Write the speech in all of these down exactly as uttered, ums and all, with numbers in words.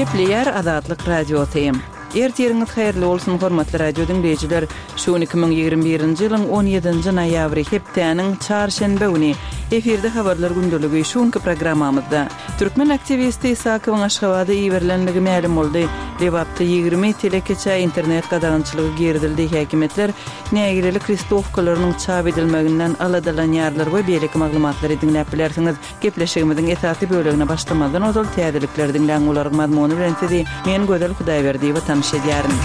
Gepleýär Azatlyk Radiosy. Ertiriňiz haýyrly bolsun, hormatly radio diňleýjiler. Şu gün iki müň ýigrimi birinji ýylyň on ýedinji noýabry, hepdäniň çarşenbe güni. Efirde habarlar gündeligi şu günki programmamyzda. Türkmen aktiwisti Isakowyň Aşgabada iberilenligi mälim boldy. Lebapda ýigrimi telekeçä internet gadagançylygy girizildi. Häkimiýetler nägilelik listowkalarynyň çap edilmeginden aladalanýarlar we beýleki maglumatlary diňläp bilersiňiz. Gepleşigimiziň esasy bölegine başlamazdan ozal täzelikleri diňläň, olaryň mazmuny bilen sizi men Gözel Hudaýberdiýewa tanyş edýärin.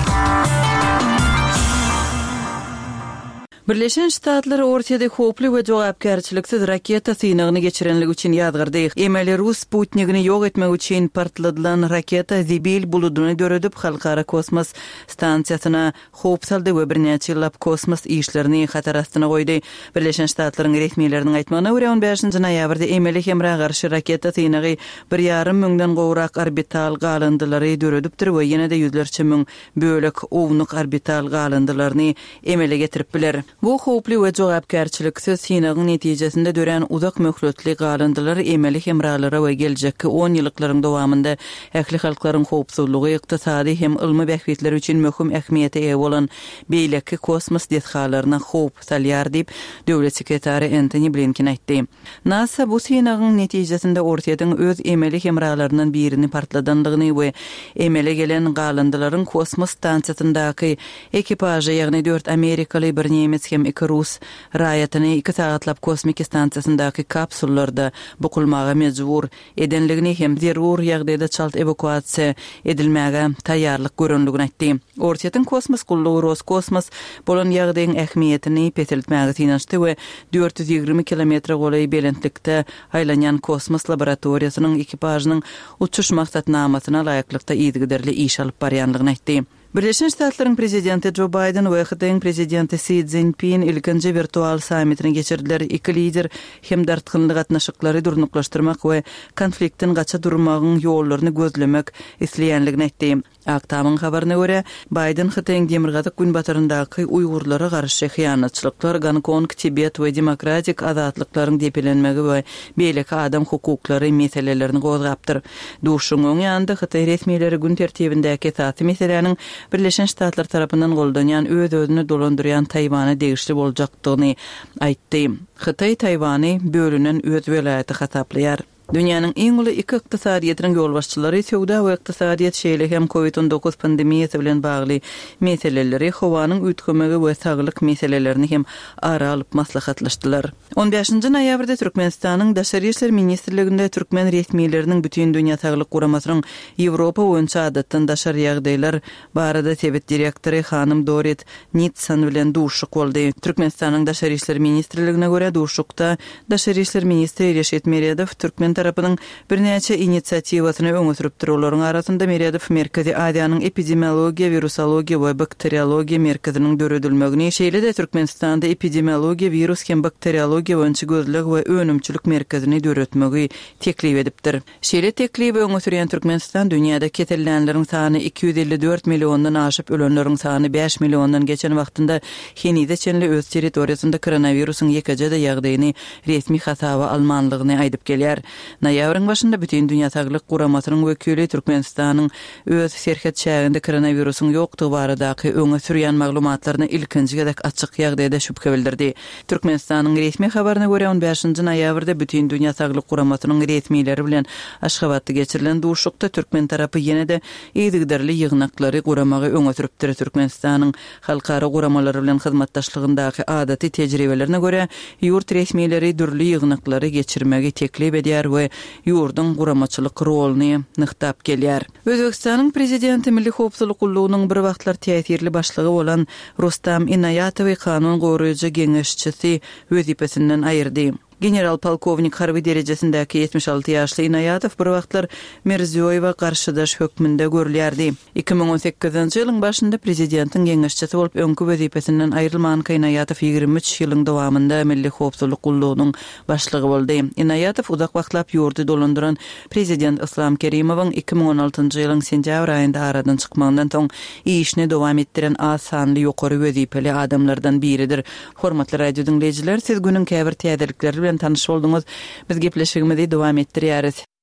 Birleşen Ştatlar Orsýeti howply we jogapkärçiliksiz raketa synagyny geçirenligi üçin ýazgardy. Emeli rus sputnigini ýok etmek üçin partladylan raketa zibil buludyny döredip, halkara kosmos stansiýasyna howp saldy we birnäçe ýyllap kosmos işlerini hatar astyna goýdy. Birleşen Ştatlaryň resmileriniň aýtmagyna görä, on bäşinji noýabrda emeli hemra garşy raketa synagy bir ýarym müňden gowrak orbital galyndylary döredipdir we ýene-de ýüzlerçe müň bölek ownuk orbital galyndylaryny emele getirip biler. Bu howply we jogapkärçiliksiz synagyň netijesinde dörän uzak möhletli galyndylar emeli hemralara we geljekki on ýyllyklaryň dowamynda ähli halklaryň howpsuzlygy, ykdysady hem ylmy bähbitleri üçin möhüm ähmiýete eýe bolan beýleki kosmos desgalaryna howp salýar diýip, döwlet sekretary Entoni Blinken aýtdy. NASA bu synagyň netijesinde Orsýetiň öz emeli hemralaryndan birini partladandygyny we emele gelen galyndylaryň kosmos stansiýasyndaky ekipažy, ýagny dört amerikaly, bir nemes hem iki rus raýatyny iki sagatlap kosmiki stansiýasyndaky kapsullarda bukulmaga mejbur edenligini hem zerur ýagdaýda çalt ewakuasiýa edilmäge taýýarlyk görenligini aýtdy. Orsýetiň kosmos gullugy Roskosmos bolan ýagdaýyň ähmiýetini peseltmäge synanyşdy we dört ýüz ýigrimi kilometre golaý belentlikde aýlanýan kosmos laboratoriýasynyň ekipažynyň uçuş maksatnamasyna laýyklykda yzygiderli iş alyp barýanlygyny aýtdy. Birleşen Ştatlaryň prezidenti Jo Baýden we Hytaýyň prezidenti Si Szinpin ilkinji wirtual sammitini geçirdiler. Iki lider hem dartgynly gatnaşyklary durnuklaşdyrmak we konfliktden gaça durmagyň ýollaryny gözlemek isleýänligini aýtdy. Ak Tamyň habaryna görä, Baýden Hytaýyň demirgazyk günbataryndaky uýgurlara garşy hyýanatçylyklar, Gonkong, Tibet we demokratik azatlyklaryň depelenmegi we beýleki adam hukuklary meselelerini gozgapdyr. Duşuň öň ýanynda Hytaý resmileri gün tertibindäki esasy meseläniň Birleşen Ştatlar tarapyndan goldanýan öz-özüni dolandyrýan Taýwana degişli boljakdygyny aýtdy. Hytaý Taýwany bölünen öz welaýaty hasaplaýar. Dünýäniň iň uly iki ykdysadyýetiniň ýolbaşçylary söwda we ykdysadyýet, şeýle hem kovid on dokuz pandemiýasy bilen bagly meseleleri, howanyň üýtgemegi we saglyk meselelerini hem ara alyp maslahatlaşdylar. On bäşinji noýabrda Türkmenistanyň Daşary işler ministrliginde türkmen resmileriniň Bütindünýä Saglyk Guramasynyň Ýewropa boýunça adatdan daşary ýagdaýlar barada sebit direktory hanym Dorit Nitsan bilen duşuşyk boldy. Türkmenistanyň Daşary işler ministrligine görä duşuşykda Daşary işler ministri Reşit Meredow türkmen tarapynyň birnäçe inisiatiwasyny öňe sürüpdir. Olaryň arasynda Meredow Merkezi Aziýanyň epidemiologiýa, wirusologiýa we bakteriologiýa merkeziniň döredilmegini, şeýle-de Türkmenistanda epidemiologiýa, wirus hem bakteriologiýa boýunça gözleg we önümçilik merkezini döretmegi teklip edipdir. Şeýle teklibi öňe sürýän Türkmenistan dünýäde kesellänleriň sany iki ýüz elli dört milliondan aşyp, ölenleriň sany bäş milliondan geçen wagtynda henize çenli öz territoriýasynda koronawirusyň ýekeje-de ýagdaýyny resmi hasaba almanlygyny aýdyp gelýär. Noýabryň başynda Bütindünýä Saglyk Guramasynyň wekili Türkmenistanyň öz serhet çäginde koronawirusyň ýokdugy baradaky öňe sürýän maglumatlaryna ilkinji gezek açyk ýagdaýda şübhe bildirdi. Türkmenistanyň resmi habaryna görä on bäşinji noýabrda Bütindünýä Saglyk Guramasynyň resmileri bilen Aşgabatda geçirilen duşuşykda türkmen tarapy ýene-de yzygiderli ýygnaklary guramagy öňe sürüpdir. Türkmenistanyň halkara guramalary bilen hyzmatdaşlygyndaky adaty tejribelerine görä ýurt resmileri dürli ýygnaklary geçirmegi teklip edýär we ýurduň guramaçylyk roluny nygtap gelýär. Özbekistanyň prezidenti Milli Howpsuzlyk gullugynyň bir wagtlar täsirli başlygy bolan Rustam Inaýatowy kanun goraýjy geňeşçisi wezipesinden aýyrdy. General polkownik harby derejesindäki ýetmiş alty ýaşly Inaýatow bir wagtlar Mirziýoýewa garşydaş hökmünde görülýärdi. Iki müň on sekizinji ýylyň başynda prezidentiň geňeşçisi bolup öňki wezipesinden aýrylmanka Inaýatow ýigrimi üç ýylyň dowamynda Milli Howpsuzlyk gullugynyň başlygy boldy. Inaýatow uzak wagtlap ýurdy dolandyran prezident Islam Kerimowyň iki müň on altynjy ýylyň sentýabr aýynda aradan çykmagyndan soň işini dowam etdiren az sanly ýokary wezipeli adamlardan biridir. Hormatly radio diňleýjiler, siz günüň käbir täzelikleri bilen tanyş bolduňyz. Biz gepleşigimizi dowam etdirýäris.